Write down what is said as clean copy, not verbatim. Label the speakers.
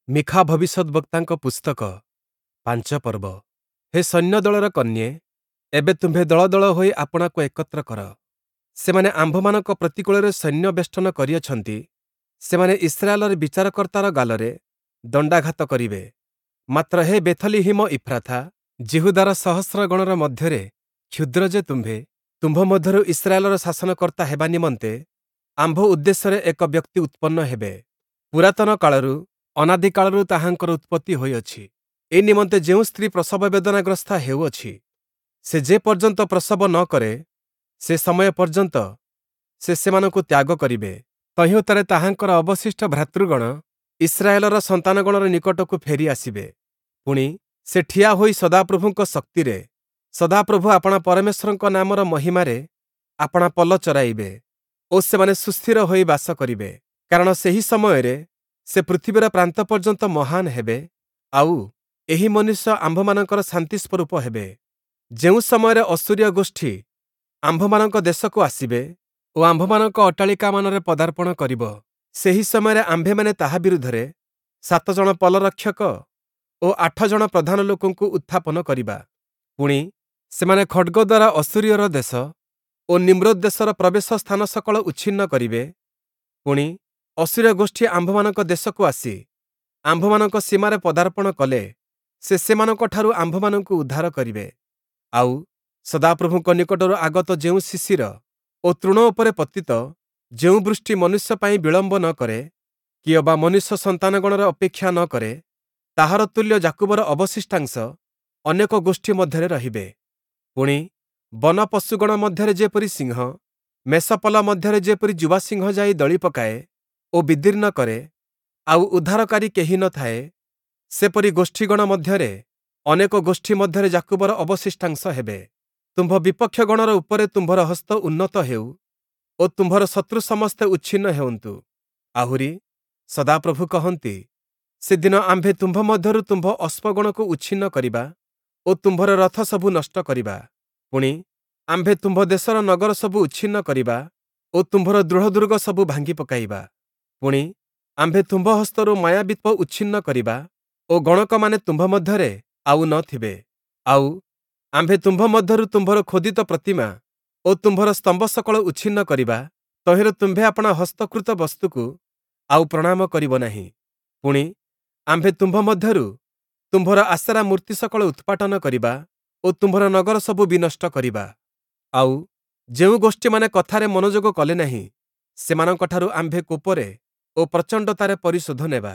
Speaker 1: ମୀଖା ଭବିଷ୍ୟଦ୍‌ବକ୍ତାଙ୍କ ପୁସ୍ତକ 5 ପର୍ବ। ହେ ସୈନ୍ୟଦଳର କନ୍ୟେ, ଏବେ ତୁମ୍ଭେ ଦଳ ଦଳ ହୋଇ ଆପଣାକୁ ଏକତ୍ର କର। ସେମାନେ ଆମ୍ଭମାନଙ୍କ ପ୍ରତିକୂଳରେ ସୈନ୍ୟ ବେଷ୍ଟନ କରିଅଛନ୍ତି, ସେମାନେ ଇସ୍ରାଏଲର ବିଚାରକର୍ତ୍ତାର ଗାଲରେ ଦଣ୍ଡାଘାତ କରିବେ। ମାତ୍ର ହେ ବେଥଲିହିମ ଇଫ୍ରାଥା, ଯିହୁଦାର ସହସ୍ରଗଣର ମଧ୍ୟରେ କ୍ଷୁଦ୍ର ଯେ ତୁମ୍ଭେ, ତୁମ୍ଭ ମଧ୍ୟରୁ ଇସ୍ରାଏଲର ଶାସନକର୍ତ୍ତା ହେବା ନିମନ୍ତେ ଆମ୍ଭ ଉଦ୍ଦେଶ୍ୟରେ ଏକ ବ୍ୟକ୍ତି ଉତ୍ପନ୍ନ ହେବେ। ପୁରାତନ କାଳରୁ, ଅନାଦି କାଳରୁ ତାହାଙ୍କର ଉତ୍ପତ୍ତି ହୋଇଅଛି। ଏ ନିମନ୍ତେ ଯେଉଁ ସ୍ତ୍ରୀ ପ୍ରସବ ବେଦନାଗ୍ରସ୍ତା ହେଉଅଛି, ସେ ଯେ ପର୍ଯ୍ୟନ୍ତ ପ୍ରସବ ନ କରେ, ସେ ସମୟ ପର୍ଯ୍ୟନ୍ତ ସେ ସେମାନଙ୍କୁ ତ୍ୟାଗ କରିବେ। ତହିଁ ଉତ୍ତାରେ ତାହାଙ୍କର ଅବଶିଷ୍ଟ ଭ୍ରାତୃଗଣ ଇସ୍ରାଏଲର ସନ୍ତାନଗଣର ନିକଟକୁ ଫେରି ଆସିବେ। ପୁଣି, ସେ ଠିଆ ହୋଇ ସଦାପ୍ରଭୁଙ୍କ ଶକ୍ତିରେ, ସଦାପ୍ରଭୁ ଆପଣା ପରମେଶ୍ୱରଙ୍କ ନାମର ମହିମାରେ ଆପଣା ପଲ ଚରାଇବେ ଓ ସେମାନେ ସୁସ୍ଥିର ହୋଇ ବାସ କରିବେ। କାରଣ ସେହି ସମୟରେ ସେ ପୃଥିବୀର ପ୍ରାନ୍ତ ପର୍ଯ୍ୟନ୍ତ ମହାନ ହେବେ, ଆଉ ଏହି ମନୁଷ୍ୟ ଆମ୍ଭମାନଙ୍କର ଶାନ୍ତି ସ୍ୱରୂପ ହେବେ। ଯେଉଁ ସମୟରେ ଅଶୂରୀୟ ଗୋଷ୍ଠୀ ଆମ୍ଭମାନଙ୍କ ଦେଶକୁ ଆସିବେ ଓ ଆମ୍ଭମାନଙ୍କ ଅଟ୍ଟାଳିକାମାନରେ ପଦାର୍ପଣ କରିବ, ସେହି ସମୟରେ ଆମ୍ଭେମାନେ ତାହା ବିରୁଦ୍ଧରେ 7 ଜଣ ପଲରକ୍ଷକ ଓ 8 ଜଣ ପ୍ରଧାନ ଲୋକଙ୍କୁ ଉତ୍ଥାପନ କରିବା। ପୁଣି, ସେମାନେ ଖଡ଼୍ଗ ଦ୍ୱାରା ଅଶୂରୀୟର ଦେଶ ଓ ନିମ୍ରୋଦ ଦେଶର ପ୍ରବେଶ ସ୍ଥାନ ସକଳ ଉଚ୍ଛିନ୍ନ କରିବେ। ପୁଣି, ଅଶୂରୀୟ ଗୋଷ୍ଠୀ ଆମ୍ଭମାନଙ୍କ ଦେଶକୁ ଆସି ଆମ୍ଭମାନଙ୍କ ସୀମାରେ ପଦାର୍ପଣ କଲେ, ସେ ସେମାନଙ୍କଠାରୁ ଆମ୍ଭମାନଙ୍କୁ ଉଦ୍ଧାର କରିବେ। ଆଉ ସଦାପ୍ରଭୁଙ୍କ ନିକଟରୁ ଆଗତ ଯେଉଁ ଶିଶିର ଓ ତୃଣ ଉପରେ ପତିତ ଯେଉଁ ବୃଷ୍ଟି ମନୁଷ୍ୟ ପାଇଁ ବିଳମ୍ବ ନ କରେ, କିଅବା ମନୁଷ୍ୟ ସନ୍ତାନଗଣର ଅପେକ୍ଷା ନ କରେ, ତାହାର ତୁଲ୍ୟ ଯାକୁବର ଅବଶିଷ୍ଟାଂଶ ଅନେକ ଗୋଷ୍ଠୀ ମଧ୍ୟରେ ରହିବେ। ପୁଣି, ବନ ପଶୁଗଣ ମଧ୍ୟରେ ଯେପରି ସିଂହ, ମେଷପଲ ମଧ୍ୟରେ ଯେପରି ଯୁବା ସିଂହ ଯାଇ ଦଳି ପକାଏ ଓ ବିଦୀର୍ଣ୍ଣ କରେ, ଆଉ ଉଦ୍ଧାରକାରୀ କେହି ନ ଥାଏ, ସେପରି ଗୋଷ୍ଠୀଗଣ ମଧ୍ୟରେ, ଅନେକ ଗୋଷ୍ଠୀ ମଧ୍ୟରେ ଯାକୁବର ଅବଶିଷ୍ଟାଂଶ ହେବେ। ତୁମ୍ଭ ବିପକ୍ଷଗଣର ଉପରେ ତୁମ୍ଭର ହସ୍ତ ଉନ୍ନତ ହେଉ ଓ ତୁମ୍ଭର ଶତ୍ରୁ ସମସ୍ତେ ଉଚ୍ଛିନ୍ନ ହେଉନ୍ତୁ। ଆହୁରି ସଦାପ୍ରଭୁ କହନ୍ତି, ସେଦିନ ଆମ୍ଭେ ତୁମ୍ଭ ମଧ୍ୟରୁ ତୁମ୍ଭ ଅଶ୍ଵଗଣକୁ ଉଚ୍ଛିନ୍ନ କରିବା ଓ ତୁମ୍ଭର ରଥ ସବୁ ନଷ୍ଟ କରିବା। ପୁଣି, ଆମ୍ଭେ ତୁମ୍ଭ ଦେଶର ନଗର ସବୁ ଉଚ୍ଛିନ୍ନ କରିବା ଓ ତୁମ୍ଭର ଦୃଢ଼ ଦୁର୍ଗ ସବୁ ଭାଙ୍ଗି ପକାଇବା। ପୁଣି, ଆମ୍ଭେ ତୁମ୍ଭ ହସ୍ତରୁ ମାୟାବିତ୍ୱ ଉଚ୍ଛିନ୍ନ କରିବା ଓ ଗଣକମାନେ ତୁମ୍ଭ ମଧ୍ୟରେ ଆଉ ନ ଥିବେ। ଆଉ ଆମ୍ଭେ ତୁମ୍ଭ ମଧ୍ୟରୁ ତୁମ୍ଭର ଖୋଦିତ ପ୍ରତିମା ଓ ତୁମ୍ଭର ସ୍ତମ୍ଭ ସକଳ ଉଚ୍ଛିନ୍ନ କରିବା, ତହିଁରେ ତୁମ୍ଭେ ଆପଣା ହସ୍ତକୃତ ବସ୍ତୁକୁ ଆଉ ପ୍ରଣାମ କରିବ ନାହିଁ। ପୁଣି, ଆମ୍ଭେ ତୁମ୍ଭ ମଧ୍ୟରୁ ତୁମ୍ଭର ଆଶେରା ମୂର୍ତ୍ତି ସକଳ ଉତ୍ପାଟନ କରିବା ଓ ତୁମ୍ଭର ନଗର ସବୁ ବିନଷ୍ଟ କରିବା। ଆଉ ଯେଉଁ ଗୋଷ୍ଠୀମାନେ କଥାରେ ମନୋଯୋଗ କଲେ ନାହିଁ, ସେମାନଙ୍କଠାରୁ ଆମ୍ଭେ କୋପରେ ଓ ପ୍ରଚଣ୍ଡତାରେ ପରିଶୋଧ ନେବା।